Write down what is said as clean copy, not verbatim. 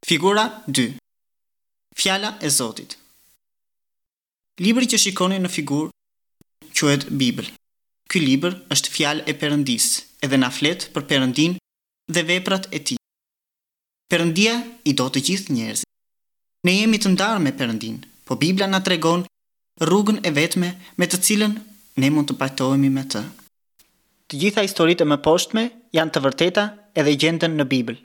Figura 2. Fjala e Zotit. Libri që shikoni në figurë quhet Bibël. Ky libër është fjalë e Perëndisë edhe na flet për Perëndinë dhe veprat e Tij. Perëndia i do të gjithë njerëzit. Ne jemi të ndarë me Perëndinë, po Bibla na tregon rrugën e vetme me të cilën ne mund të pajtohemi me Të. Të gjitha historitë e mëposhtme janë të vërteta edhe gjenden në Bibël.